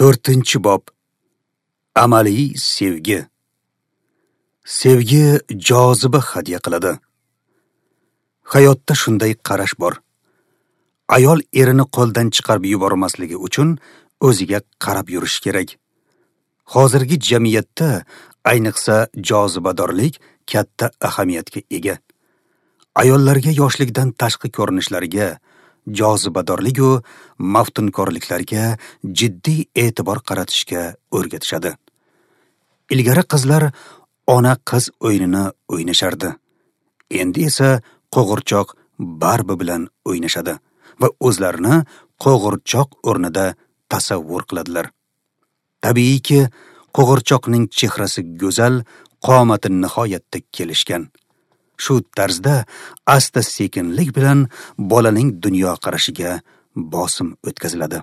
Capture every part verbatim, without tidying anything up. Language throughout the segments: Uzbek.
To'rtinchi bob. Amaliy sevgi. Sevgi joziba hadya qiladi. Hayotda shunday qarash bor. Ayol erini qo'ldan chiqarib yubormasligi uchun o'ziga qarab yurishi kerak. Hozirgi jamiyatda ayniqsa jozibadorlik katta ahamiyatga ega. Ayollarga yoshlikdan tashqi ko'rinishlariga, jozibadorlik va maftunkorliklarga jiddiy e'tibor qaratishga o'rgatishadi. Ilgari qizlar ona qiz o'yinini o'ynashardi. Endi esa qo'g'irchoq Barbi bilan o'ynashadi va o'zlarini qo'g'irchoq o'rnida tasavvur qiladilar. Tabiiyki, qo'g'irchoqning chehrasi go'zal, qomati nihoyatda kelishgan. Shu tarzda asta-sekinlik bilan bolaning dunyoqarashiga bosim o'tkaziladi.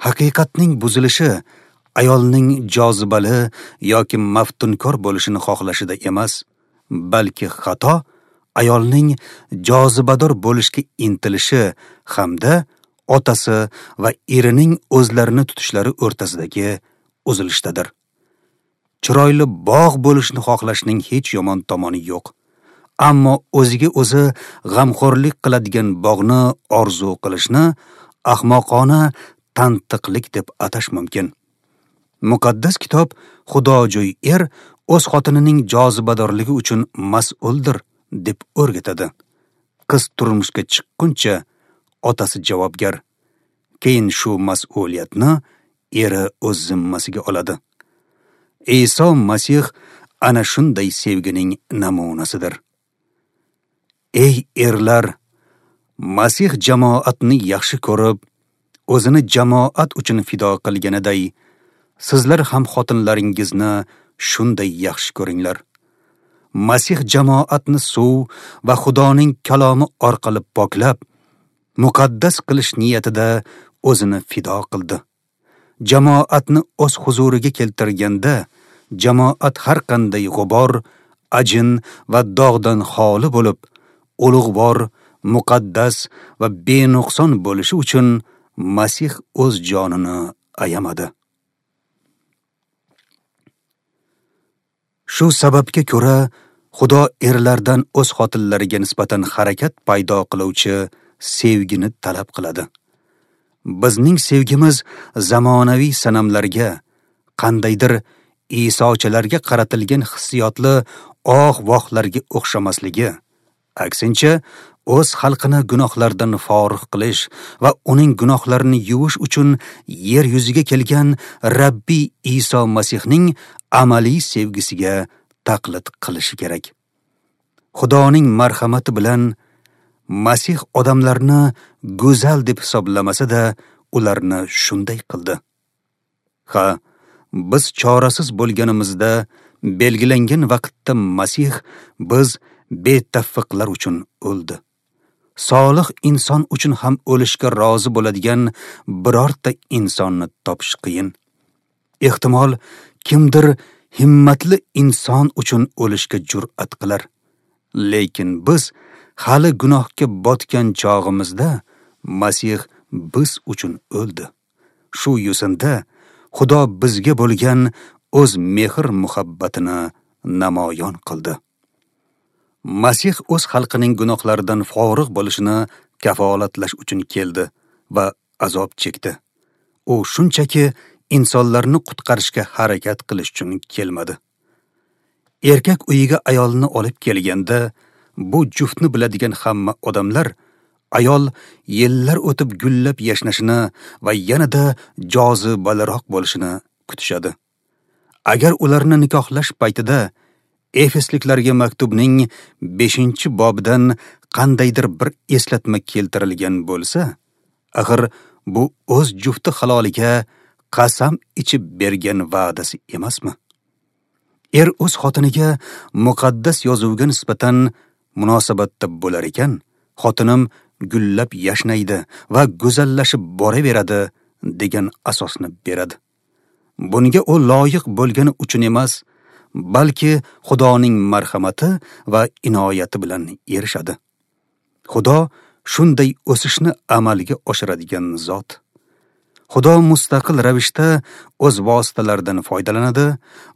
Haqiqatning buzilishi ayolning jozibali yoki maftunkor bo'lishini xohlashida emas, balki xato ayolning jozibador bo'lishga intilishi hamda otasi va erining o'zlarini tutishlari o'rtasidagi uzilishdadir. Chiroyli bog' bo'lishni xohlashning hech yomon tomoni yo'q. Ammo o'ziga o'zi g'amxo'rlik qiladigan bog'ni orzu qilishni ahmoqona tantiqlik deb atash mumkin. Muqaddas kitob xudojo'y er o'z xotinining jozibadorligi uchun mas'uldir deb o'rgatadi. Qiz turmushga chiqquncha otasi javobgar. Keyin shu mas'uliyatni eri o'z zimmasiga oladi. Iso Masih ana shunday sevgining namunasidir. Ey erlar, Masih jamoatni yaxshi ko'rib, o'zini jamoat uchun fido qilganiday, sizlar ham xotinlaringizni shunday yaxshi ko'ringlar. Masih jamoatni suv va Xudoning kalomi orqali poklab, muqaddas qilish niyatida o'zini fido qildi. Jamoatni o'z huzuriga keltirganda, jamoat har qanday g'ubor, ajin va dog'dan xoli bo'lib, ulug'vor, muqaddas va benuqson bo'lishi uchun Masih o'z jonini ayamadi. Shu sababga ko'ra, Xudo erlardan o'z xotinlariga nisbatan harakat paydo qiluvchi sevgini talab qiladi. Bizning sevgimiz zamonaviy sanamlarga, qandaydir Isochalarga qaratilgan hissiyotli oh-vohlarga o'xshamasligi, aksincha o'z xalqini gunohlardan forig' qilish va uning gunohlarini yuvish uchun yer yuziga kelgan Rabbiy Iso Masihning amaliy sevgisiga taqlid qilishi kerak. Xudoning marhamati bilan Masih odamlarni go'zal deb hisoblamasa-da, ularni shunday qildi. Ha, biz chorasiz bo'lganimizda belgilangan vaqtda Masih biz betavfiqlar uchun o'ldi. Solih inson uchun ham o'lishga rozi bo'ladigan birorta insonni topish qiyin. Ehtimol kimdir himmatli inson uchun o'lishga jur'at qilar. Lekin biz hali gunohga botgan chog'imizda Masih biz uchun o'ldi. Shu yo'sinda Xudo bizga bo'lgan o'z mehr-muhabbatini namoyon qildi. Masih o'z xalqining gunohlaridan forig' bo'lishini kafolatlash uchun keldi va azob chekdi. U shunchaki insonlarni qutqarishga harakat qilish uchun kelmadi. Erkak uyiga ayolni olib kelganda, bu juftni biladigan hamma odamlar ayol yillar o'tib gullab yashnashini va yanada jozibaliroq bo'lishini kutishadi. Agar ularni nikohlash paytida Efesliklarga maktubning beshinchi bobidan qandaydir bir eslatma keltirilgan bo'lsa, axir bu o'z jufti haloliga qasam ichib bergan va'dasi emasmi? Er o'z xotiniga muqaddas yozuvga nisbatan munosabatda bo'lar ekan, xotinim gullab yashnaydi va go'zallashib boraveradi degan asosni beradi. Bunga u loyiq bo'lgani uchun emas, balki Xudoning marhamati va inoyati bilan erishadi. Xudo shunday o'sishni amalga oshiradigan zot. Xudo mustaqil ravishda o'z vositalaridan foydalanadi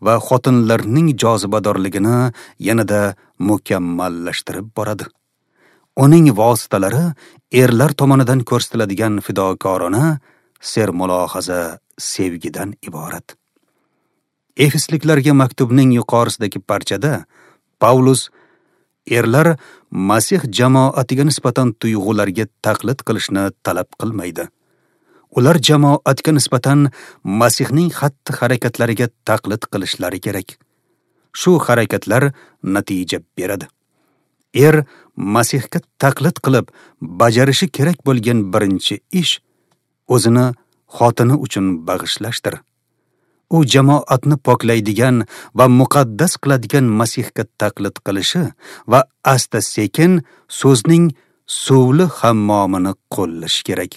va xotinlarning jozibadorligini yanada mukammallashtirib boradi. Uning vositalari erlar tomonidan ko'rsatiladigan fidokorona sermulohaza sevgidan iborat. Efesliklarga maktubning yuqorisidagi parchada Pavlus erlar Masih jamoatiga nisbatan tuyg'ularga taqlid qilishni talab qilmaydi. Ular jamoatga nisbatan Masihning xatti-harakatlariga taqlid qilishlari kerak. Shu harakatlar natija beradi. Er Masihga taqlid qilib bajarishi kerak bo'lgan birinchi ish o'zini xotini uchun bag'ishlashdir. U jamoatni poklaydigan va muqaddas qiladigan Masihga taqlid qilishi va asta-sekin so'zning suvli hammomini qo'llashi kerak.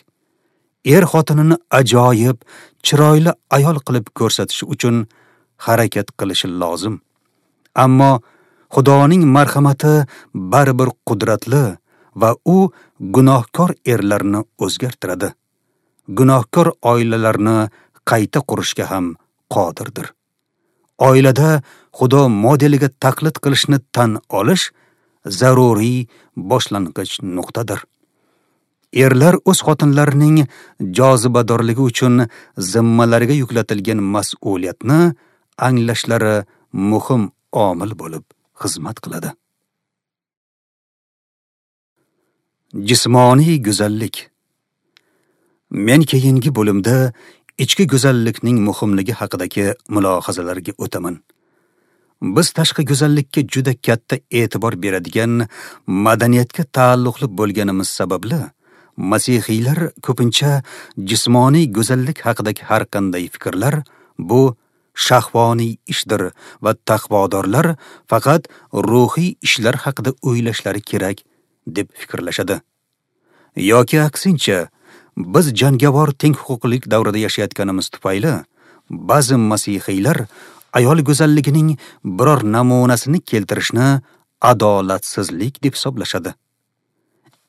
Er xotinini ajoyib, chiroyli ayol qilib ko'rsatish uchun harakat qilishi lozim. Ammo Xudoning marhamati baribir qudratli va u gunohkor erlarni o'zgartiradi. Gunohkor oilalarni qayta qurishga ham qodirdir. Oilada Xudo modeliga taqlid qilishni tan olish zaruriy boshlang'ich nuqtadir. Erlar o'z xotinlarining jozibadorligi uchun zimmalariga yuklatilgan mas'uliyatni anglashlari muhim omil bo'lib xizmat qiladi. Jismoniy go'zallik. Men keyingi bo'limda ichki go'zallikning muhimligi haqidagi mulohazalarga o'taman. Biz tashqi go'zallikka juda katta e'tibor beradigan madaniyatga taalluqli bo'lganimiz sababli masihiylar ko'pincha jismoniy go'zallik haqidagi har qanday fikrlar bu shahvoniy ishdir va taqvodorlar faqat ruhiy ishlar haqida o'ylashlari kerak deb fikrlashadi. Yoki aksincha, biz jangovar teng huquqlilik davrida yashayotganimiz tufayli ba'zi masihiylar ayol go'zalligining biror namunasini keltirishni adolatsizlik deb hisoblashadi.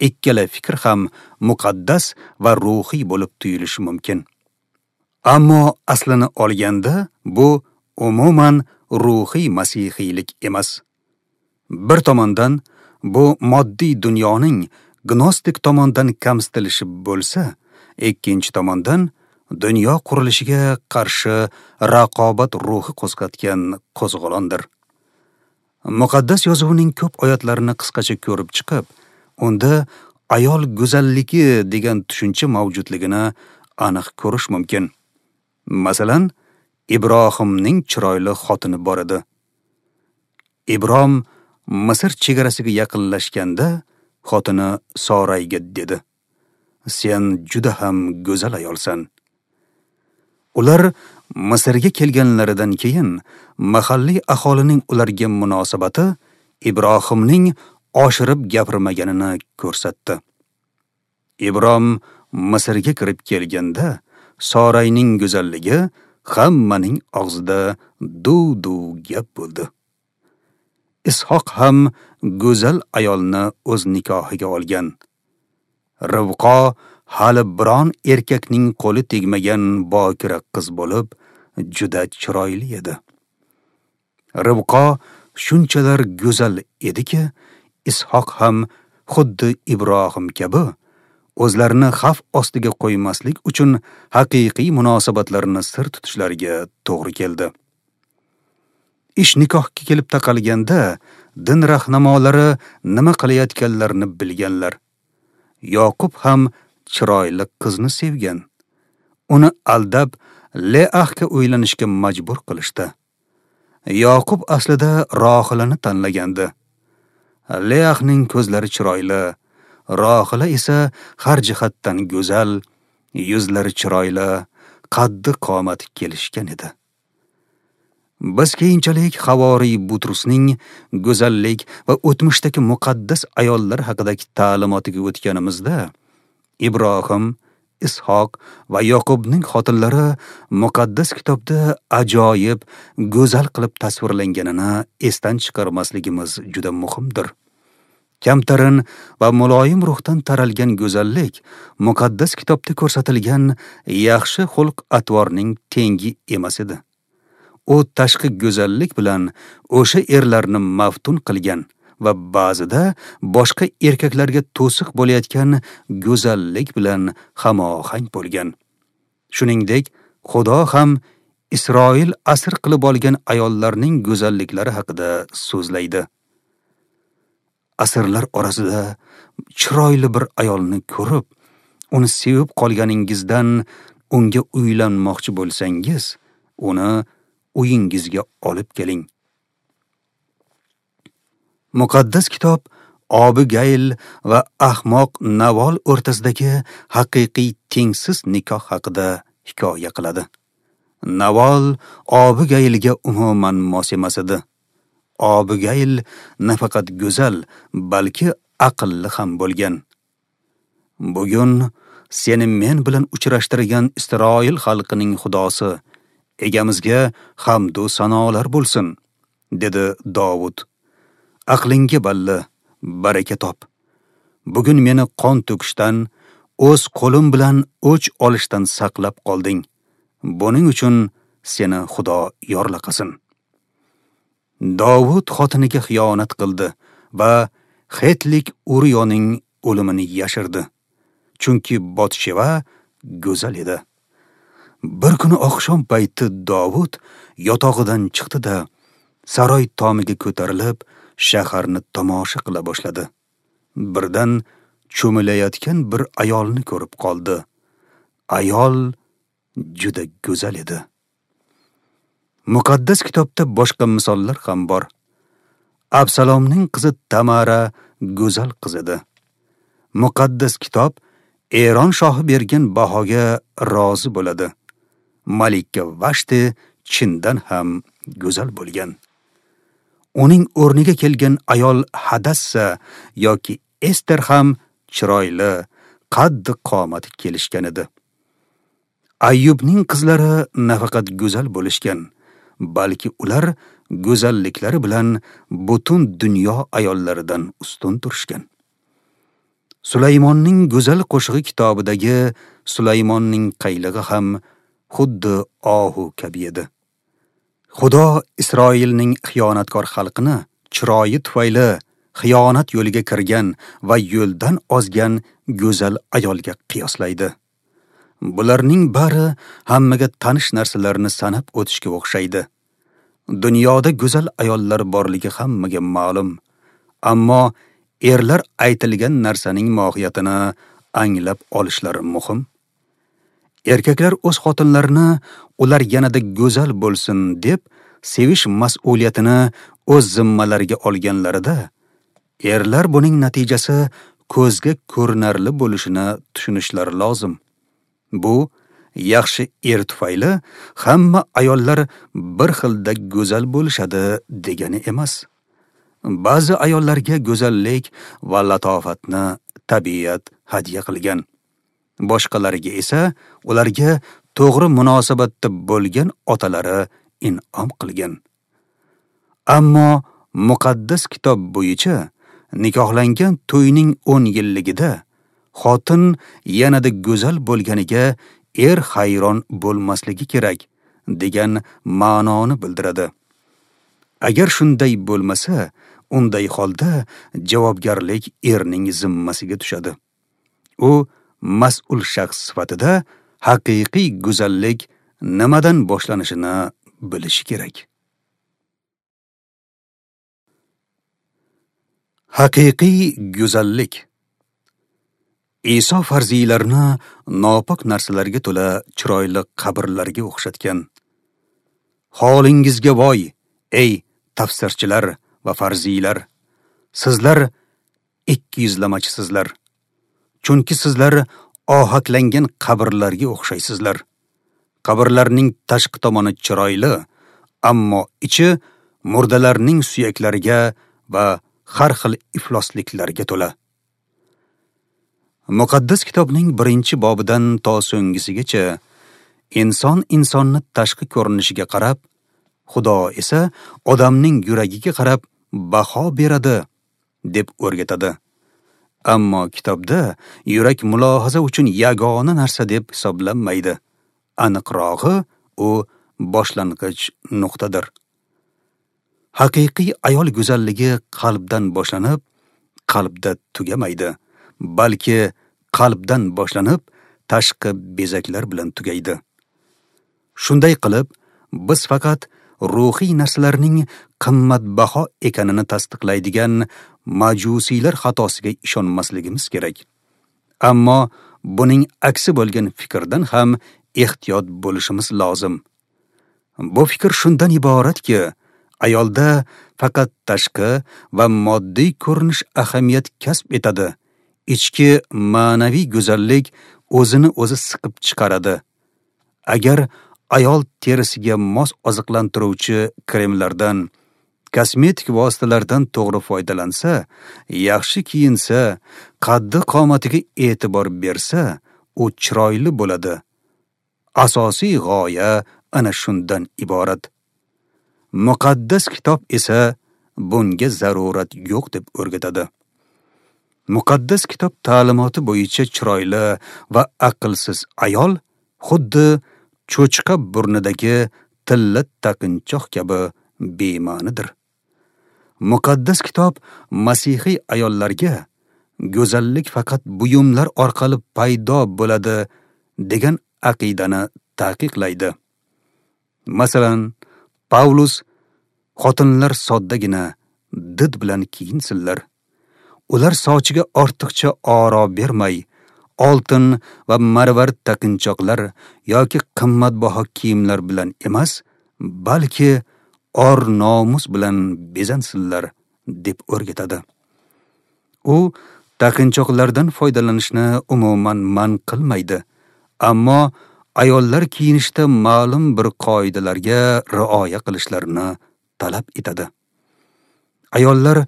Ikkala fikr ham muqaddas va ruhiy bo'lib tuyulishi mumkin. Ammo aslini olganda bu umuman ruhiy masihiylik emas. Bir tomondan bu moddiy dunyoning gnostik tomondan kamsitilishi bo'lsa, ikkinchi tomondan dunyo qurilishiga qarshi raqobat ruhi qo'zg'atgan qo'zg'olondir. Muqaddas yozuvning ko'p oyatlarini qisqacha ko'rib chiqib, unda ayol go'zalligi degan tushuncha mavjudligini aniq ko'rish mumkin. Masalan, Ibrohimning chiroyli xotini bor edi. Ibrom Misr chegarasiga yaqinlashganda xotini Sorayga dedi: "Sen juda ham go'zal ayolsan." Ular Misrga kelganlaridan keyin mahalliy aholining ularga munosabati Ibrohimning oshirib gapirmaganini ko'rsatdi. Ibrom Misrga kirib kelganda Sorayning go'zalligi hammaning og'zida duv-duv gap bo'ldi. Ishoq ham go'zal ayolni o'z nikohiga olgan. Rivqo hali biron erkakning qo'li tegmagan bokira qiz bo'lib, juda chiroyli edi. Rivqo shunchalar go'zal ediki, Ishoq ham xuddi Ibrohim kabi o'zlarini xavf ostiga qo'ymaslik uchun haqiqiy munosabatlarini sir tutishlariga to'g'ri keldi. Ish nikohga kelib taqalganda din rahnamolari nima qilayotganlarini bilganlar. Yoqub ham chiroyli qizni sevgan. Uni aldab Leahga uylanishga majbur qilishdi. Yoqub aslida Rohilani tanlagandi. Leahning ko'zlari chiroyli, Rohila esa har jihatdan go'zal, yuzlari chiroyli, qaddi qomati kelishgan edi. Biz keyinchalik Havoriy Butrusning go'zallik va o'tmishdagi muqaddas ayollar haqidagi ta'limotiga o'tganimizda, Ibrohim, Ishoq va Yoqubning xotinlari muqaddas kitobda ajoyib, go'zal qilib tasvirlanganini esdan chiqarmasligimiz juda muhimdir. Kamtarin va muloyim ruhdan taralgan go'zallik muqaddas kitobda ko'rsatilgan yaxshi xulq-atvorning tengi emas edi. U tashqi go'zallik bilan o'sha erlarni maftun qilgan va ba'zida boshqa erkaklarga to'siq bo'layotgan go'zallik bilan hamohang bo'lgan. Shuningdek, Xudo ham Isroil asir qilib olgan ayollarning go'zalliklari haqida so'zlaydi. Asirlar orasida chiroyli bir ayolni ko'rib, uni sevib qolganingizdan unga uylanmoqchi bo'lsangiz, uni uyingizga olib keling. Muqaddas kitob Obigayl va ahmoq Navol o'rtasidagi haqiqiy tengsiz nikoh haqida hikoya qiladi. Navol Obigaylga umuman mos emas edi. Obigayl nafaqat go'zal, balki aqlli ham bo'lgan. Bugun seni men bilan uchrashtirgan Isroil xalqining xudosi, egamizga hamd u sanolar bo'lsin, dedi Dovud. Aqlingga balla, baraka top. Bugun meni qon to'kishdan, o'z qo'lim bilan o'ch olishdan saqlab qolding. Buning uchun seni Xudo yorlaqasin. Dovud xotiniga xiyonat qildi va Xetlik Uriyoning o'limini yashirdi. Chunki Botsheva go'zal edi. Bir kuni oqshom payti Dovud yotog'idan chiqdi-da, saroy tomiga ko'tarilib, shaharni tomosha qila boshladi. Birdan cho'milayotgan bir ayolni ko'rib qoldi. Ayol juda go'zal edi. Muqaddas kitobda boshqa misollar ham bor. Absalomning qizi Tamara go'zal qiz edi. Muqaddas kitob Eron shohi bergan bahoga rozi bo'ladi. Malika Vashti chindan ham go'zal bo'lgan. Uning o'rniga kelgan ayol Hadassa yoki Ester ham chiroyli, qaddi qomati kelishgan edi. Ayyubning qizlari nafaqat go'zal bo'lishgan, balki ular go'zalliklari bilan butun dunyo ayollaridan ustun turishgan. Sulaymonning go'zal qo'shig'i kitobidagi Sulaymonning qaylig'i ham xuddi ohu kabi edi. Xudo Isroilning xiyonatkor xalqini chiroyi tufayli xiyonat yo'liga kirgan va yo'ldan ozgan go'zal ayolga qiyoslaydi. Bularning bari hammaga tanish narsalarni sanab o'tishga o'xshaydi. Dunyoda go'zal ayollar borligi hammaga ma'lum, ammo erlar aytilgan narsaning mohiyatini anglab olishlari muhim. Erkaklar o'z xotinlarini ular yanada go'zal bo'lsin deb sevish mas'uliyatini o'z zimmalariga olganlarida, erlar buning natijasi ko'zga ko'rinarli bo'lishini tushunishlari lozim. Bu yaxshi er tufayli hamma ayollar bir xilda go'zal bo'lishadi degani emas. Ba'zi ayollarga go'zallik va latofatni tabiat hadya qilgan. Boshqalariga esa ularga to'g'ri munosabatda bo'lgan otalari in'om qilgan. Ammo muqaddas kitob bo'yicha nikohlangan to'yning o'n yilligida xotin yanada go'zal bo'lganiga er hayron bo'lmasligi kerak degan ma'noni bildiradi. Agar shunday bo'lmasa, unday holda javobgarlik erning zimmasiga tushadi. U mas'ul shaxs sifatida haqiqiy go'zallik nimadan boshlanishini bilishi kerak. Haqiqiy go'zallik. Iso farziylarni nopok narsalarga to'la chiroyli qabrlarga o'xshatgan. Holingizga voy, ey tafsirchilar va farziylar! Sizlar ikki yuzlamachisizlar. Chunki sizlar ohaklangan qabrlarga o'xshaysizlar. Qabrlarning tashqi tomoni chiroyli, ammo ichi murdalarning suyaklariga va har xil iflosliklarga to'la. Muqaddas kitobning birinchi bobidan to so'nggisigacha inson insonni tashqi ko'rinishiga qarab, Xudo esa odamning yuragiga qarab baho beradi deb o'rgatadi. Ammo kitobda yurak mulohaza uchun yagona narsa deb hisoblanmaydi. Aniqrog'i, u boshlang'ich nuqtadir. Haqiqiy ayol go'zalligi qalbdan boshlanib, qalbda tugamaydi, balki qalbdan boshlanib, tashqi bezaklar bilan tugaydi. Shunday qilib, biz faqat ruhiy narsalarning qimmatbaho ekanini tasdiqlaydigan majusiylar xatosiga ishonmasligimiz kerak. Ammo buning aksi bo'lgan fikrdan ham ehtiyot bo'lishimiz lozim. Bu fikr shundan iboratki, ayolda faqat tashqi va moddiy ko'rinish ahamiyat kasb etadi. Ichki ma'naviy go'zallik o'zini o'zi siqib chiqaradi. Agar ayol terisiga mos oziqlantiruvchi kremlardan, kosmetik vositalardan to'g'ri foydalansa, yaxshi kiyinsa, qaddi qomatiga e'tibor bersa, u chiroyli bo'ladi. Asosiy g'oya ana shundan iborat. Muqaddas kitob esa bunga zarurat yo'q deb o'rgatadi. Muqaddas kitob ta'limoti bo'yicha chiroyli va aqlsiz ayol xuddi cho'chqa burnidagi tilla taqinchoq kabi bema'nidir. Muqaddas kitob masihiy ayollarga go'zallik faqat buyumlar orqali paydo bo'ladi degan aqidani taqiqlaydi. Masalan, Pavlus xotinlar soddagina did bilan kiyinsinlar. Ular sochiga ortiqcha oro bermay, oltin va marvarid taqinchoqlar yoki qimmatbaho kiyimlar bilan emas, balki or nomus bilan bezansinlar deb o'rgatadi. U taqinchoqlardan foydalanishni umuman man qilmaydi, ammo ayollar kiyinishda ma'lum bir qoidalarga rioya qilishlarini talab etadi. Ayollar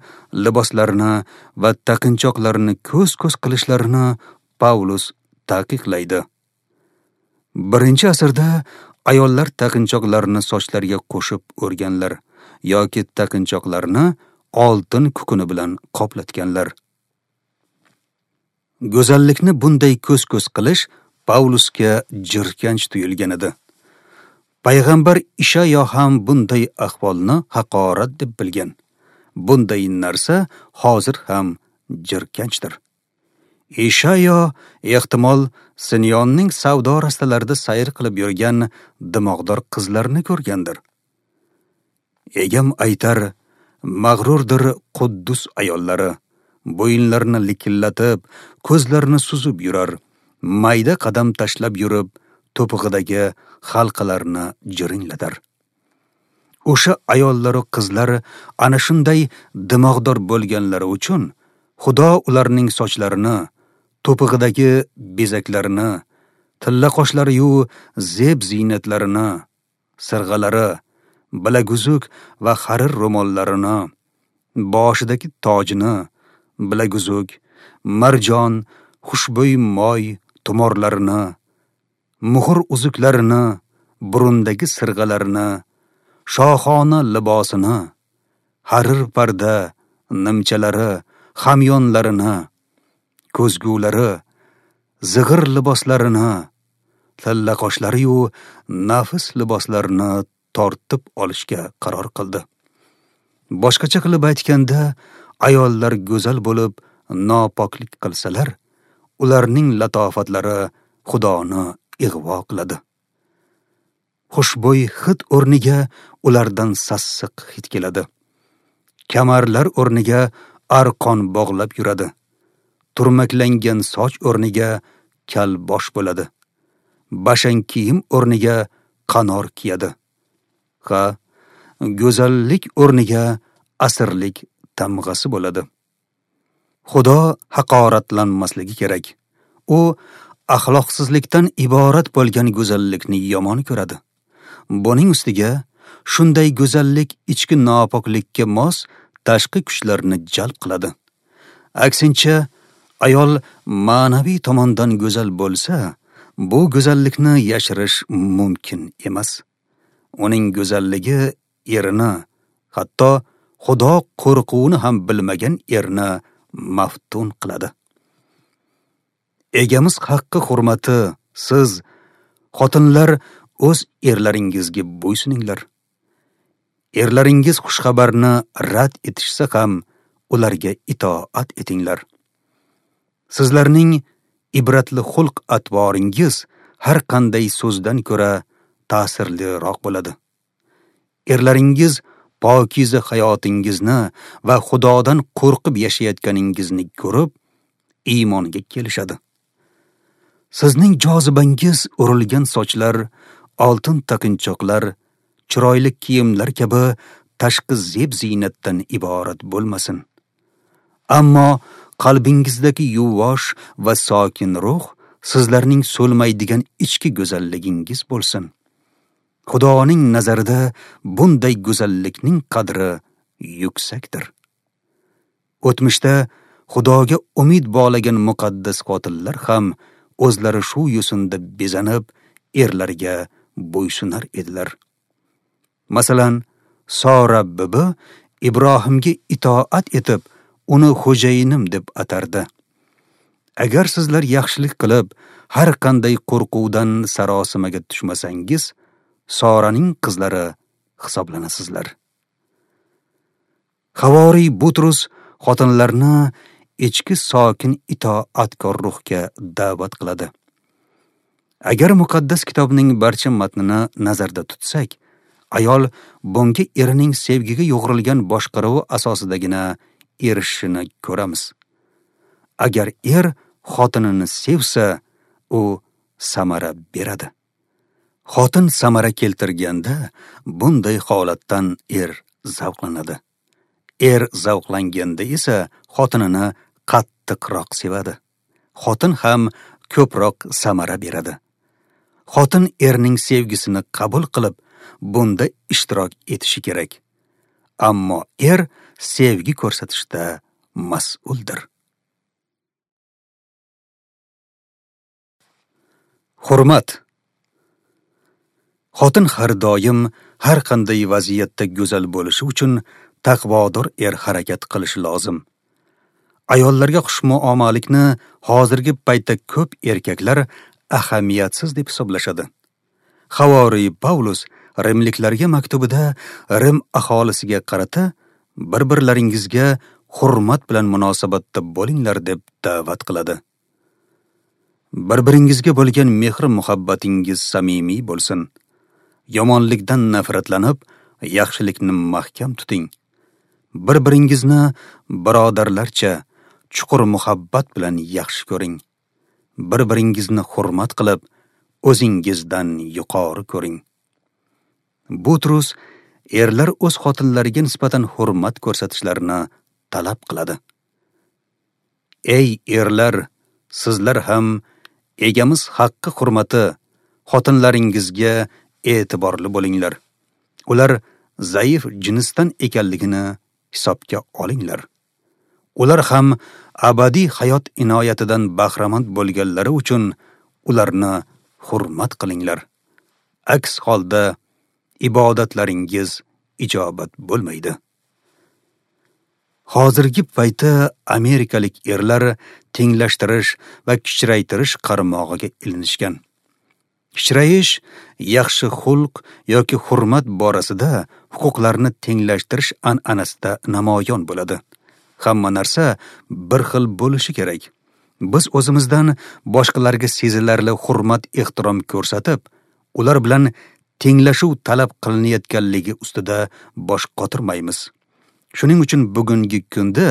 liboslarini va taqinchoqlarini ko'z-ko'z qilishlarini Pavlus taqiqlaydi. Birinchi asrda ayollar taqinchoqlarini sochlariga qo'shib o'rganlar yoki taqinchoqlarini oltin kukuni bilan qoplatganlar. Go'zallikni bunday ko'z-ko'z qilish Pavlusga jirkanch tuyulgan edi. Payg'ambar Ishayo ham bunday ahvolni haqorat deb bilgan. Bunday narsa hozir ham jirkanchdir. Ishayo ehtimol Sinyonning savdo rastalarida sayr qilib yurgan dimog'dor qizlarni ko'rgandir. Egam aytar, mag'rurdir Quddus ayollari, bo'yinlarini likillatib, ko'zlarini suzib yurar, mayda qadam tashlab yurib, to'pig'idagi halqalarni jiringlatar. O'sha ayollaru qizlar ana shunday dimog'dor bo'lganlari uchun Xudo ularning sochlarini, to'pig'idagi bezaklarini, tilla qoshlari-yu zeb ziynatlarini, sirg'alari, bilaguzuk va harir ro'mollarini, boshidagi tojini, bilaguzuk, marjon, xushbo'y moy tumorlarini, muhr uzuklarini, burundagi sirg'alarini, shohona libosini, harir parda, nimchalari, hamyonlarini, ko'zgulari, zig'ir liboslarini, tilla qoshlari-yu nafis liboslarini tortib olishga qaror qildi. Boshqacha qilib aytganda, ayollar go'zal bo'lib nopoklik qilsalar, ularning latofatlari Xudoni ig'vo qiladi. Xushbo'y hid o'rniga ulardan sassiq hid keladi. Kamarlar o'rniga arqon bog'lab yuradi. Turmaklangan soch o'rniga kal bosh bo'ladi. Bashang kiyim o'rniga qanor kiyadi. Ha, go'zallik o'rniga asirlik tamg'asi bo'ladi. Xudo haqoratlanmasligi kerak. U axloqsizlikdan iborat bo'lgan go'zallikni yomon ko'radi. Buning ustiga shunday go'zallik ichki nopoklikka mos tashqi kuchlarni jalb qiladi. Aksincha, ayol ma'naviy tomondan go'zal bo'lsa, bu go'zallikni yashirish mumkin emas. Uning go'zalligi erini, hatto Xudo qo'rquvini ham bilmagan erni maftun qiladi. Egamiz haqqi hurmati, siz xotinlar o'z erlaringizga bo'ysuninglar. Erlaringiz xushxabarni rad etishsa ham ularga itoat etinglar. Sizlarning ibratli xulq atvoringiz har qanday so'zdan ko'ra ta'sirliroq bo'ladi. Erlaringiz pokiza hayotingizni va Xudodan qo'rqib yashayotganingizni ko'rib, iymonga kelishadi. Sizning jozibangiz urilgan sochlar, oltin taqinchoqlar, chiroyli kiyimlar kabi tashqi zeb-ziynatdan iborat bo'lmasin. Ammo qalbingizdagi yuvosh va sokin ruh sizlarning so'lmaydigan ichki go'zalligingiz bo'lsin. Xudoning nazarida bunday go'zallikning qadri yuksakdir. O'tmishda Xudoga umid bog'lagan muqaddas xotinlar ham o'zlari shu yo'sinda bezanib, erlarga bo'ysunar edilar. Masalan, Sora bibi Ibrohimga itoat etib, uni xo'jayinim deb atardi. Agar sizlar yaxshilik qilib, har qanday qo'rquvdan sarosimaga tushmasangiz, Soraning qizlari hisoblanasizlar. Havoriy Butrus xotinlarni ichki sokin itoatkor ruhga da'vat qiladi. Agar muqaddas kitobning barcha matnini nazarda tutsak, ayol bunga erining sevgiga yo'g'rilgan boshqaruvi asosidagina erishishini ko'ramiz. Agar er xotinini sevsa, u samara beradi. Xotin samara keltirganda bunday holatdan er zavqlanadi. Er zavqlanganda esa xotinini qattiqroq sevadi. Xotin ham ko'proq samara beradi. Xotin erning sevgisini qabul qilib, bunda ishtirok etishi kerak. Ammo er sevgi ko'rsatishda mas'uldir. Hurmat. Xotin har doim har qanday vaziyatda go'zal bo'lishi uchun taqvodor er harakat qilishi lozim. Ayollarga xushmuomalikni hozirgi paytda ko'p erkaklar ahamiyatsiz deb hisoblashadi. Havoriy Pavlus rimliklarga maktubida Rim aholisiga qarata bir-birlaringizga hurmat bilan munosabatda bo'linglar deb da'vat qiladi. Bir-biringizga bo'lgan mehr-muhabbatingiz samimiy bo'lsin. Yomonlikdan nafratlanib, yaxshilikni mahkam tuting. Bir-biringizni birodarlarcha chuqur muhabbat bilan yaxshi ko'ring. Bir-biringizni hurmat qilib, o'zingizdan yuqori ko'ring. Butrus erlar o'z xotinlariga nisbatan hurmat ko'rsatishlarini talab qiladi. Ey erlar, sizlar ham egamiz haqqi hurmati xotinlaringizga e'tiborli bo'linglar. Ular zaif jinsdan ekanligini hisobga olinglar. Ular ham abadiy hayot inoyatidan bahramand bo'lganlari uchun ularni hurmat qilinglar. Aks holda ibodatlaringiz ijobat bo'lmaydi. Hozirgi paytda amerikalik erlar tenglashtirish va kichraytirish qarmog'iga ilinishgan. Kichrayish yaxshi xulq yoki hurmat borasida huquqlarni tenglashtirish an'anasida namoyon bo'ladi. Hamma narsa bir xil bo'lishi kerak. Biz o'zimizdan boshqalarga sezilarli hurmat ehtirom ko'rsatib, ular bilan tenglashuv talab qilinayotganligi ustida bosh qotirmaymiz. Shuning uchun bugungi kunda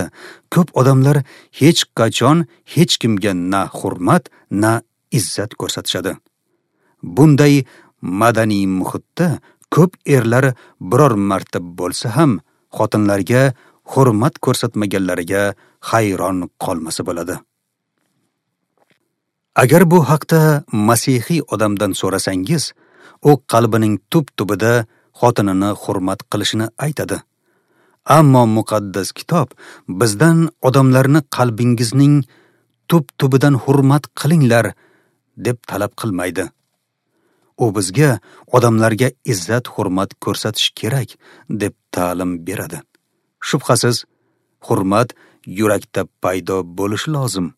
ko'p odamlar hech qachon hech kimga na hurmat, na izzat ko'rsatishadi. Bunday madaniy muhitda ko'p erlar biror marta bo'lsa ham xotinlarga hurmat ko'rsatmaganlariga hayron qolmasa bo'ladi. Agar bu haqda masihiy odamdan so'rasangiz, u qalbining tub-tubida xotinini hurmat qilishini aytadi. Ammo muqaddas kitob bizdan odamlarni qalbingizning tub-tubidan hurmat qilinglar deb talab qilmaydi. U bizga odamlarga izzat hurmat ko'rsatish kerak deb ta'lim beradi. Shubhasiz, hurmat yurakda paydo bo'lishi lozim.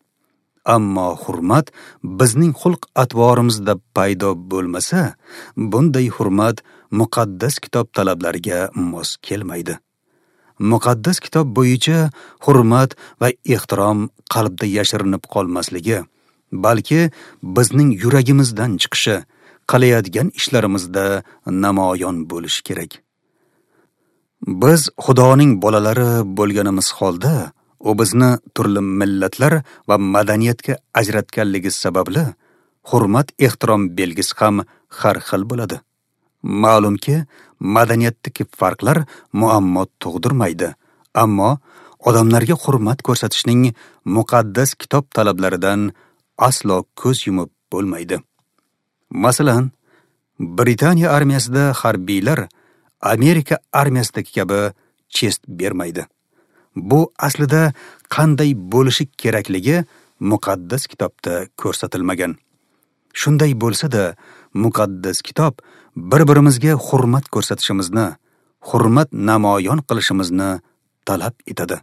Ammo hurmat bizning xulq-atvorimizda paydo bo'lmasa, bunday hurmat muqaddas kitob talablariga mos kelmaydi. Muqaddas kitob bo'yicha hurmat va ehtirom qalbda yashirinib qolmasligi, balki bizning yuragimizdan chiqishi, qilayotgan ishlarimizda namoyon bo'lishi kerak. Biz Xudoning bolalari bo'lganimiz holda, u bizni turli millatlar va madaniyatga ajratganligi sababli hurmat ehtirom belgisi ham har xil bo'ladi. Ma'lumki, madaniyatdagi farqlar muammo tug'dirmaydi, ammo odamlarga hurmat ko'rsatishning muqaddas kitob talablaridan aslo ko'z yumib bo'lmaydi. Masalan, Britaniya armiyasida harbiylar Amerika armiyasidagi kabi chest bermaydi. Bu aslida qanday bo'lishi kerakligi muqaddas kitobda ko'rsatilmagan. Shunday bo'lsa-da, muqaddas kitob bir-birimizga hurmat ko'rsatishimizni, hurmat namoyon qilishimizni talab etadi.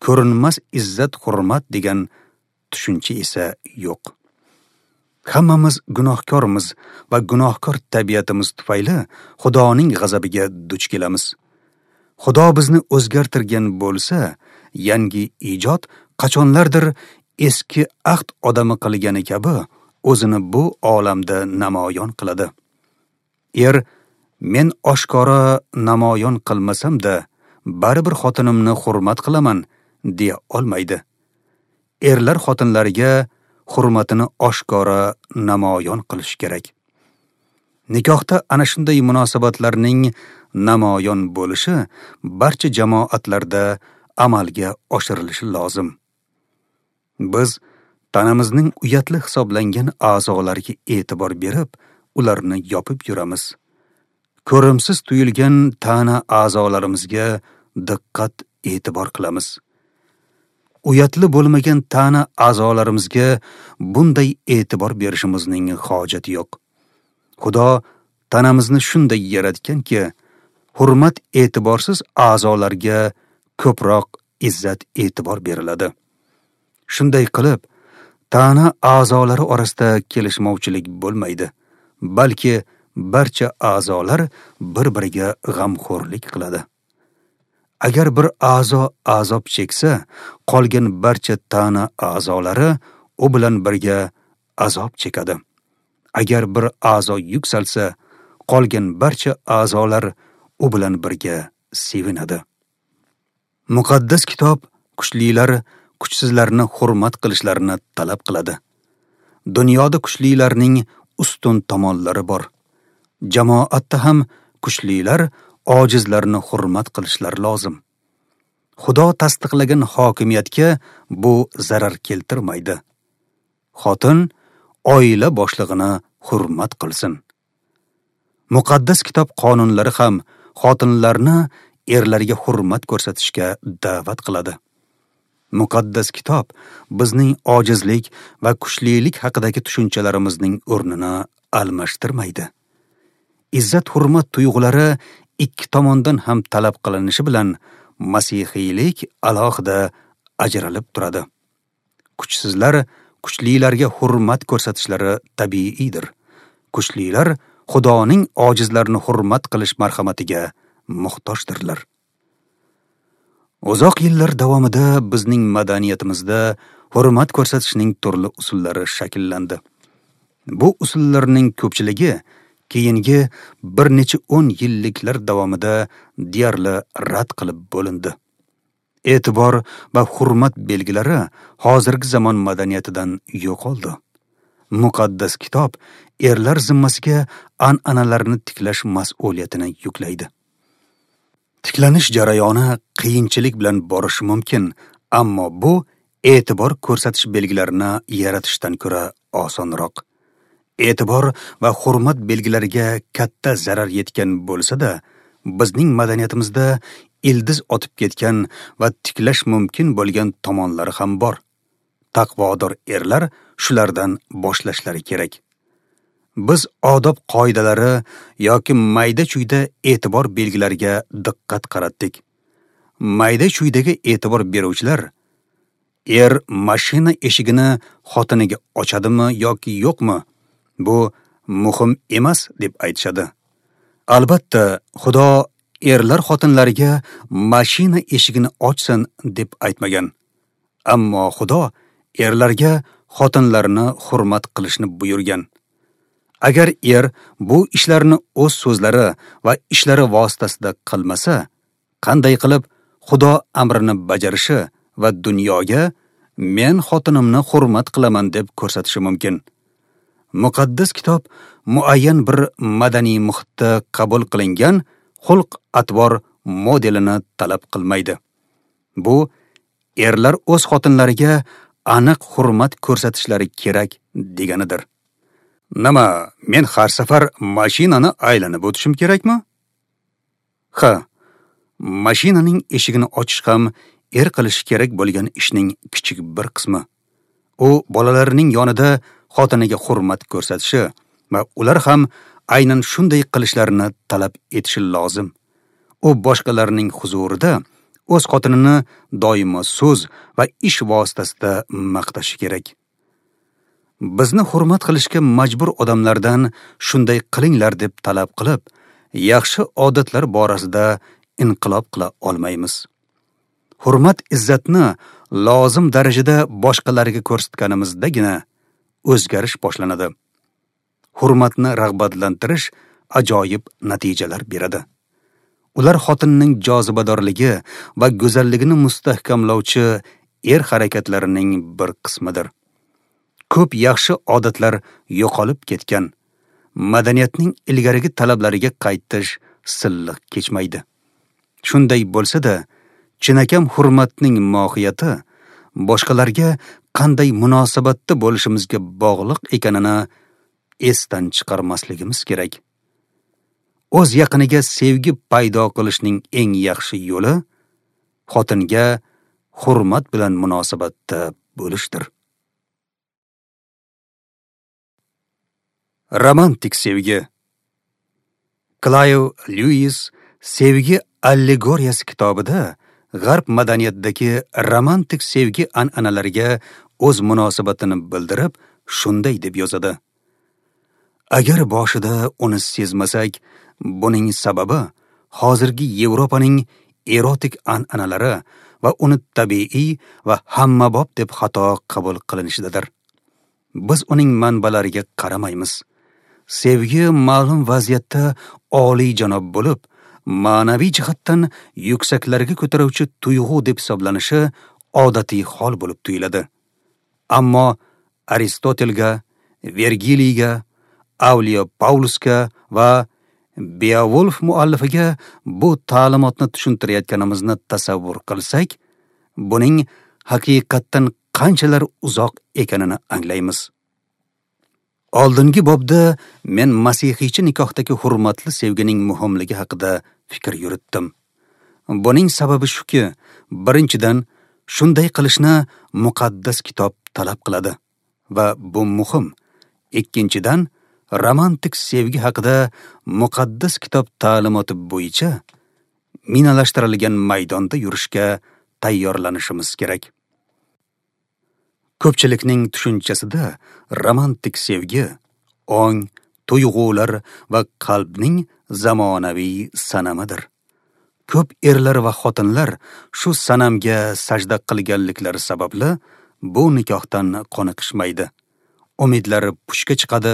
Ko'rinmas izzat hurmat degan tushuncha esa yo'q. Hammamiz gunohkormiz va gunohkor tabiatimiz tufayli Xudoning g'azabiga duch kelamiz. Xudo bizni o'zgartirgan bo'lsa, yangi ijod qachonlardir eski ahd odami qilgani kabi o'zini bu olamda namoyon qiladi. Er, men oshkora namoyon qilmasam-da, baribir xotinimni hurmat qilaman deya olmaydi. Erlar xotinlariga hurmatini oshkora namoyon qilish kerak. Nikohda ana shunday munosabatlarning namoyon bo'lishi barcha jamoatlarda amalga oshirilishi lozim. Biz tanamizning uyatli hisoblangan a'zolariga e'tibor berib, ularni yopib yuramiz. Ko'rimsiz tuyulgan tana a'zolarimizga diqqat e'tibor qilamiz. Uyatli bo'lmagan tana a'zolarimizga bunday e'tibor berishimizning hojati yo'q. Xudo tanamizni shunday yaratganki, hurmat e'tiborsiz a'zolarga ko'proq izzat e'tibor beriladi. Shunday qilib, tana a'zolari orasida kelishmovchilik bo'lmaydi, balki barcha a'zolar bir-biriga g'amxo'rlik qiladi. Agar bir a'zo azob cheksa, qolgan barcha tana a'zolari u bilan birga azob chekadi. Agar bir a'zo yuksalsa, qolgan barcha a'zolar u bilan birga sevinadi. Muqaddas kitob kuchlilar kuchsizlarni hurmat qilishlarini talab qiladi. Dunyoda kuchlilarning ustun tomonlari bor. Jamoatda ham kuchlilar ojizlarni hurmat qilishlari lozim. Xudo tasdiqlagan hokimiyatga bu zarar keltirmaydi. Xotin oila boshlig'ini hurmat qilsin. Muqaddas kitob qonunlari ham xotinlarni erlarga hurmat ko'rsatishga da'vat qiladi. Muqaddas kitob bizning ojizlik va kuchlilik haqidagi tushunchalarimizning o'rnini almashtirmaydi. Izzat hurmat tuyg'ulari ikki tomondan ham talab qilinishi bilan masihiylik alohida ajralib turadi. Kuchsizlar kuchlilarga hurmat ko'rsatishlari tabiiydir. Kuchlilar Xudoning ojizlarni hurmat qilish marhamatiga muhtojdirlar. Uzoq yillar davomida bizning madaniyatimizda hurmat ko'rsatishning turli usullari shakllandi. Bu usullarning ko'pchiligi keyingi bir necha o'n yilliklar davomida deyarli rad qilib bo'lindi. E'tibor va hurmat belgilari hozirgi zamon madaniyatidan yo'qoldi. Muqaddas kitob erlar zimmasiga an'analarni tiklash mas'uliyatini yuklaydi. Tiklanish jarayoni qiyinchilik bilan borishi mumkin, ammo bu e'tibor ko'rsatish belgilarini yaratishdan ko'ra osonroq. E'tibor va hurmat belgilariga katta zarar yetgan bo'lsa-da, bizning madaniyatimizda ildiz otib ketgan va tiklash mumkin bo'lgan tomonlari ham bor. Taqvodor erlar shulardan boshlashlari kerak. Biz odob qoidalari yoki mayda-chuyda e'tibor belgilariga diqqat qaratdik. Mayda-chuydaga e'tibor beruvchilar er mashina eshigini xotiniga ochadimi yoki yo'qmi, bu muhim emas deb aytishadi. Albatta, Xudo erlar xotinlariga mashina eshigini ochsin deb aytmagan. Ammo Xudo erlarga xotinlarini hurmat qilishni buyurgan. Agar er bu ishlarni o'z so'zlari va ishlari vositasida qilmasa, qanday qilib Xudo amrini bajarishi va dunyoga men xotinimni hurmat qilaman deb ko'rsatishi mumkin? Muqaddas kitob muayyan bir madaniy muhitda qabul qilingan xulq-atvor modelini talab qilmaydi. Bu erlar o'z xotinlariga aniq hurmat ko'rsatishlari kerak deganidir. Nima, men har safar mashinani aylanib o'tishim kerakmi? Ha, mashinaning eshigini ochish ham er qilishi kerak bo'lgan ishning kichik bir qismi. U bolalarining yonida xotiniga hurmat ko'rsatishi va ular ham aynan shunday qilishlarini talab etishi lozim. U boshqalarning huzurida o'z xotinini doimo so'z va ish vositasida maqtashi kerak. Bizni hurmat qilishga majbur odamlardan shunday qilinglar deb talab qilib, yaxshi odatlar borasida inqilob qila olmaymiz. Hurmat izzatni lozim darajada boshqalarga ko'rsatganimizdagina o'zgarish boshlanadi. Hurmatni rag'batlantirish ajoyib natijalar beradi. Ular xotinning jozibadorligi va go'zalligini mustahkamlovchi er harakatlarining bir qismidir. Ko'p yaxshi odatlar yo'qolib ketgan. Madaniyatning ilgarigi talablariga qaytish silliq kechmaydi. Shunday bo'lsa-da, chinakam hurmatning mohiyati boshqalarga qanday munosabatda bo'lishimizga bog'liq ekanini esdan chiqarmasligimiz kerak. O'z yaqiniga sevgi paydo qilishning eng yaxshi yo'li xotinga hurmat bilan munosabatda bo'lishdir. Romantik sevgi. Klayv Lyuis Sevgi allegoriyasi kitobida G'arb madaniyatidagi romantik sevgi an'analariga o'z munosabatini bildirib, shunday deb yozadi: Agar boshida uni sezmasak, buning sababi hozirgi Yevropaning erotik an'analari va uni tabiiy va hammabop deb xato qabul qilinishidadir. Biz uning manbalariga qaramaymiz. Sevgi ma'lum vaziyatda oliyjanob bo'lib, ma'naviy jihatdan yuksaklarga ko'taruvchi tuyg'u deb hisoblanishi odatiy hol bo'lib tuyuladi. Ammo Aristotelga, Vergiliyga, Avliyo Paulusga va Beowulf muallifiga bu ta'limotni tushuntirayotganimizni tasavvur qilsak, buning haqiqatdan qanchalar uzoq ekanini anglaymiz. Oldingi bobda men masihiychi nikohdagi hurmatli sevgining muhimligi haqida fikr yuritdim. Buning sababi shuki, birinchidan, shunday qilishni muqaddas kitob talab qiladi va bu muhim. Ikkinchidan, romantik sevgi haqida muqaddas kitob ta'limoti bo'yicha minalashtirilgan maydonda yurishga tayyorlanishimiz kerak. Ko'pchilikning tushunchasida romantik sevgi ong, tuyg'ular va qalbning zamonaviy sanamidir. Ko'p erlar va xotinlar shu sanamga sajda qilganliklari sababli bu nikohdan qoniqishmaydi. Umidlari pushga chiqadi,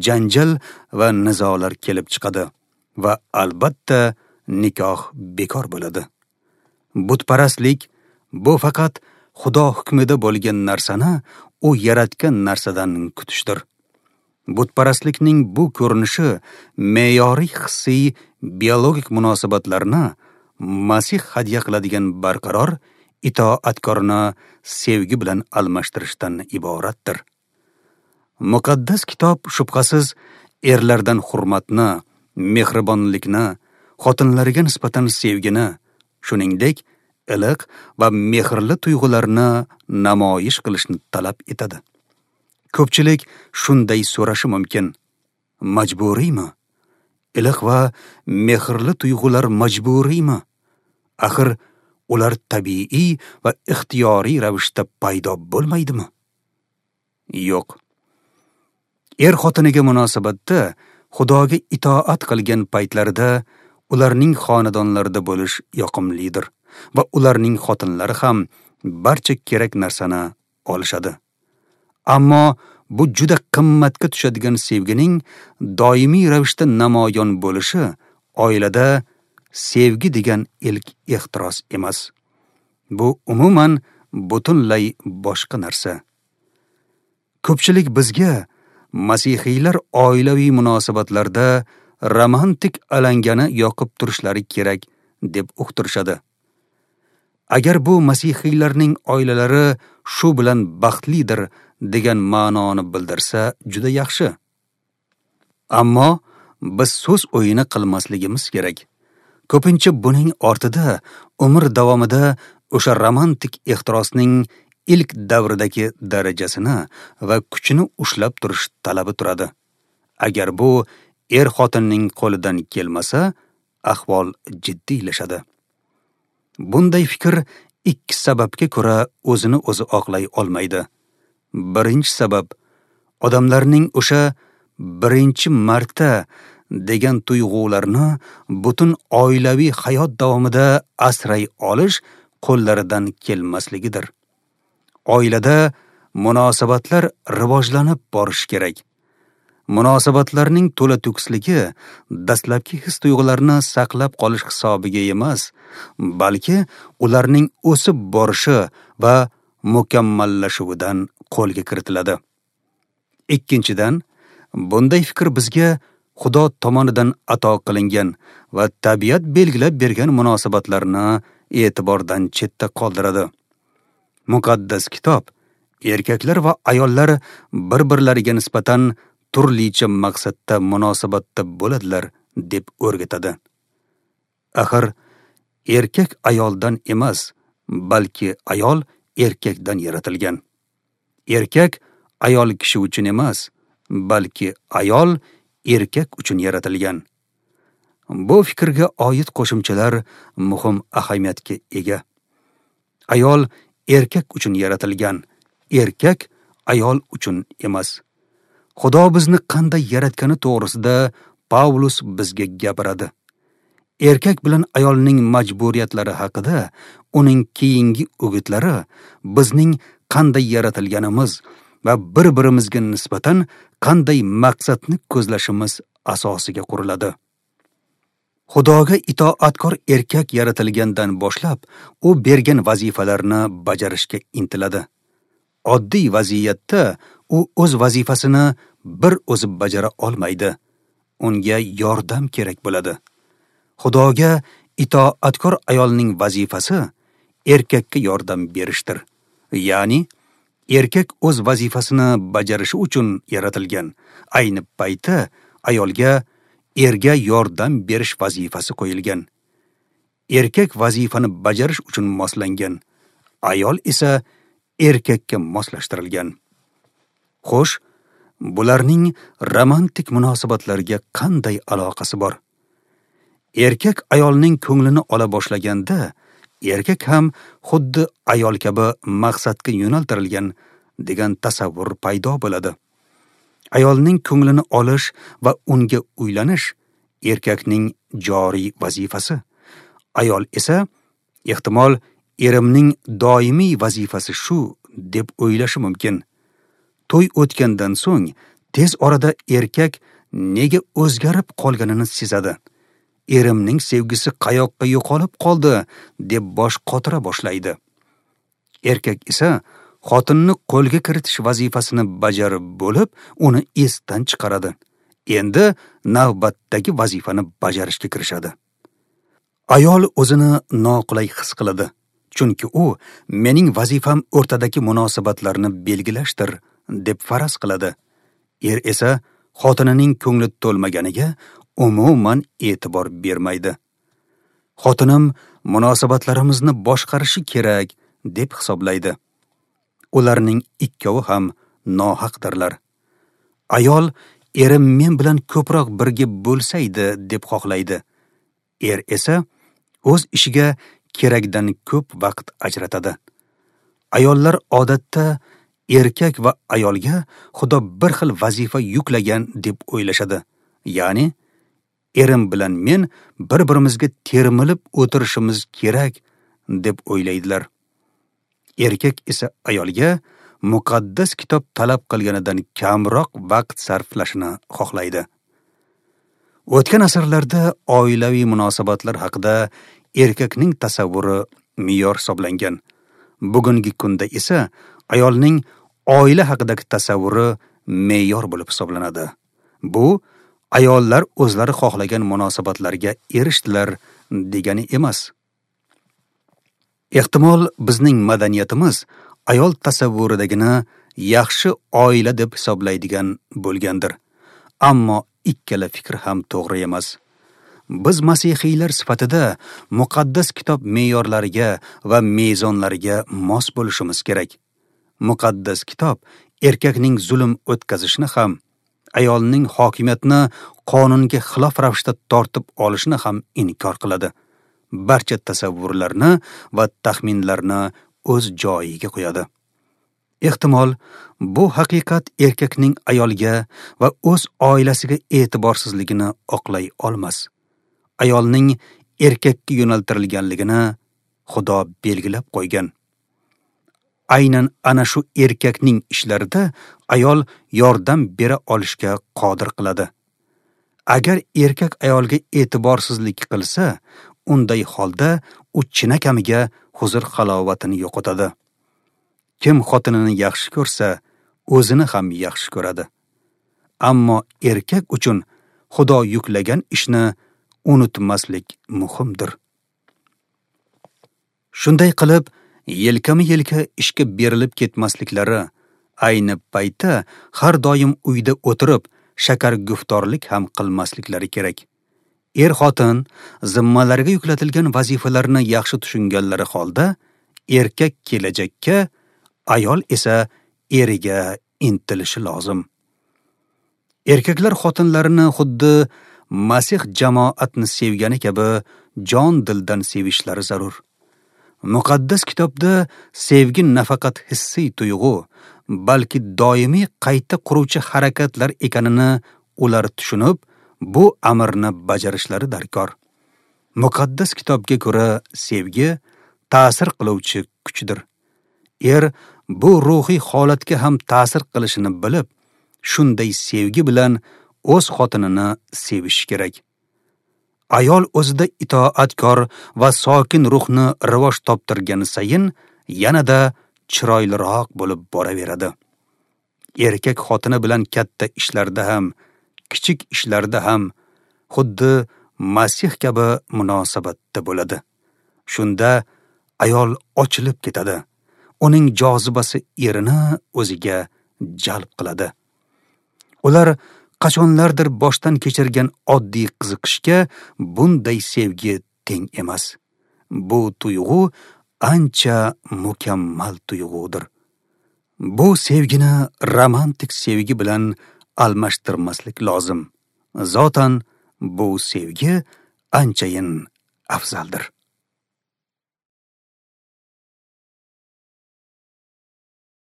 janjal va nizolar kelib chiqadi va albatta nikoh bekor bo'ladi. Butparastlik bu faqat Xudo hukmida bo'lgan narsani u yaratgan narsadan kutishdir. Butparastlikning bu ko'rinishi me'yoriy hissiy biologik munosabatlarni Masih hadya qiladigan barqaror itoatkorni sevgi bilan almashtirishdan iboratdir. Muqaddas kitob shubhasiz erlardan hurmatni, mehribonlikni, xotinlarga nisbatan sevgini, shuningdek iliq va mehrli tuyg'ularni namoyish qilishni talab etadi. Ko'pchilik shunday so'rashi mumkin: majburiymi? Iliq va mehrli tuyg'ular majburiymi? Axir ular tabiiy va ixtiyoriy ravishda paydo bo'lmaydimi? Yo'q. Er xotiniga munosabatda Xudoga itoat qilgan paytlarida ularning xonadonlarida bo'lish yoqimlidir va ularning xotinlari ham barcha kerak narsani olishadi. Ammo bu juda qimmatga tushadigan sevgining doimiy ravishda namoyon bo'lishi oilada sevgi degan ilk ehtiros emas. Bu umuman butunlay boshqa narsa. Ko'pchilik bizga masihiylar oilaviy munosabatlarda romantik alangani yoqib turishlari kerak deb uqtirishadi. Agar bu masihiylarning oilalari shu bilan baxtlidir degan ma'noni bildirsa juda yaxshi. Ammo biz so'z o'yini qilmasligimiz kerak. Ko'pincha buning ortida umr davomida o'sha romantik ehtirosning ilk davridagi darajasini va kuchini ushlab turish talabi turadi. Agar bu er xotinning qo'lidan kelmasa, ahvol jiddiylashadi. Bunday fikr ikki sababga ko'ra o'zini o'zi oqlay olmaydi. Birinchi sabab, odamlarning o'sha birinchi marta degan tuyg'ularni butun oilaviy hayot davomida asray olish qo'llaridan kelmasligidir. Oilada munosabatlar rivojlanib borishi kerak. Munosabatlarning to'la to'kisligi dastlabki his-tuyg'ularni saqlab qolish hisobiga emas, balki ularning o'sib borishi va mukammallashuvidan qo'lga kiritiladi. Ikkinchidan, bunday fikr bizga Xudo tomonidan ato qilingan va tabiat belgilab bergan munosabatlarni e'tibordan chetda qoldiradi. Muqaddas kitob erkaklar va ayollar bir-birlariga nisbatan turlicha maqsadda munosabatda bo'ladilar deb o'rgatadi. Axir erkak ayoldan emas, balki ayol erkakdan yaratilgan. Erkak ayol kishi uchun emas, balki ayol erkak uchun yaratilgan. Bu fikrga oid qo'shimchalar muhim ahamiyatga ega. Ayol erkak uchun yaratilgan, erkak ayol uchun emas. Xudo bizni qanday yaratgani to'g'risida Pavlus bizga gapiradi. Erkak bilan ayolning majburiyatlari haqida uning keyingi o'gitlari bizning qanday yaratilganimiz va bir-birimizga nisbatan qanday maqsadni ko'zlashimiz asosiga quriladi. Xudoga itoatkor erkak yaratilgandan boshlab u bergan vazifalarni bajarishga intiladi. Oddiy vaziyatda u o'z vazifasini bir o'zi bajara olmaydi. Unga yordam kerak bo'ladi. Xudoga itoatkor ayolning vazifasi erkakka yordam berishdir. Ya'ni erkak o'z vazifasini bajarishi uchun yaratilgan. Ayni paytda ayolga erga yordam berish vazifasi qo'yilgan. Erkak vazifani bajarish uchun moslangan, ayol esa erkakka moslashtirilgan. Xo'sh, bularning romantik munosabatlarga qanday aloqasi bor? Erkak ayolning ko'nglini ola boshlaganda, erkak ham xuddi ayol kabi maqsadga yo'naltirilgan degan tasavvur paydo bo'ladi. Ayolning ko'nglini olish va unga uylanish erkakning joriy vazifasi. Ayol esa ehtimol erimning doimiy vazifasi shu deb o'ylashi mumkin. To'y o'tgandan so'ng tez orada erkak nega o'zgarib qolganini sezadi. Erimning sevgisi qayoqqa yo'qolib qoldi deb bosh qotira boshlaydi. Erkak esa xotinni qo'lga kiritish vazifasini bajarib bo'lib, uni esdan chiqaradi. Endi navbatdagi vazifani bajarishga kirishadi. Ayol o'zini noqulay his qiladi, chunki u mening vazifam o'rtadagi munosabatlarni belgilashdir deb faraz qiladi. Er esa xotinining ko'ngli to'lmaganiga umuman e'tibor bermaydi. Xotinim munosabatlarimizni boshqarishi kerak deb hisoblaydi. Ularning ikkovi ham nohaqdirlar. Ayol erim men bilan ko'proq birga bo'lsaydi deb xohlaydi. Er esa o'z ishiga kerakdan ko'p vaqt ajratadi. Ayollar odatda erkak va ayolga Xudo bir xil vazifa yuklagan deb o'ylashadi. Ya'ni erim bilan men bir-birimizga termilib o'tirishimiz kerak deb o'ylaydilar. Erkak esa ayolga muqaddas kitob talab qilganidan kamroq vaqt sarflashini xohlaydi. O'tgan asrlarda oilaviy munosabatlar haqida erkakning tasavvuri me'yor hisoblangan. Bugungi kunda esa ayolning oila haqidagi tasavvuri me'yor bo'lib hisoblanadi. Bu ayollar o'zlari xohlagan munosabatlarga erishdilar degani emas. Ehtimol bizning madaniyatimiz ayol tasavvuridagini yaxshi oila deb hisoblaydigan bo'lgandir. Ammo ikkala fikr ham to'g'ri emas. Biz masihiylar sifatida muqaddas kitob me'yorlariga va mezonlariga mos bo'lishimiz kerak. Muqaddas kitob erkakning zulm o'tkazishini ham, ayolning hokimiyatni qonunga xilof ravishda tortib olishini ham inkor qiladi. Barcha tasavvurlarni va taxminlarni o'z joyiga qo'yadi. Ehtimol bu haqiqat erkakning ayolga va o'z oilasiga e'tiborsizligini oqlay olmas. Ayolning erkakka yo'naltirilganligini Xudo belgilab qo'ygan. Aynan ana shu erkakning ishlarida ayol yordam bera olishga qodir qiladi. Agar erkak ayolga e'tiborsizlik qilsa, unday holda u chinakamiga huzur-halovatini yo'qotadi. Kim xotinini yaxshi ko'rsa, o'zini ham yaxshi ko'radi. Ammo erkak uchun Xudo yuklagan ishni unutmaslik muhimdir. Shunday qilib, yelkama-yelka ishga berilib ketmasliklari, ayni paytda har doim uyda o'tirib shakar guftorlik ham qilmasliklari kerak. Er-xotin zimmalariga yuklatilgan vazifalarni yaxshi tushunganlari holda erkak kelajakka, ayol esa eriga intilishi lozim. Erkaklar xotinlarini xuddi Masih jamoatni sevgani kabi jon dildan sevishlari zarur. Muqaddas kitobda sevgi nafaqat hissiy tuyg'u, balki doimiy qayta quruvchi harakatlar ekanini ular tushunib, bu amrni bajarishlari darkor. Muqaddas kitobga ko'ra sevgi ta'sir qiluvchi kuchdir. Er bu ruhiy holatga ham ta'sir qilishini bilib, shunday sevgi bilan o'z xotinini sevishi kerak. Ayol o'zida itoatkor va sokin ruhni rivoj toptirgani sayin yanada chiroyliroq bo'lib boraveradi. Erkak xotini bilan katta ishlarda ham, kichik ishlarda ham xuddi Masih kabi munosabatda bo'ladi. Shunda ayol ochilib ketadi. Uning jozibasi erini o'ziga jalb qiladi. Ular qachonlardir boshdan kechirgan oddiy qiziqishga bunday sevgi teng emas. Bu tuyg'u ancha mukammal tuyg'udir. Bu sevgini romantik sevgi bilan almashtirmaslik lozim. Zotan bu sevgi anchayin afzaldir.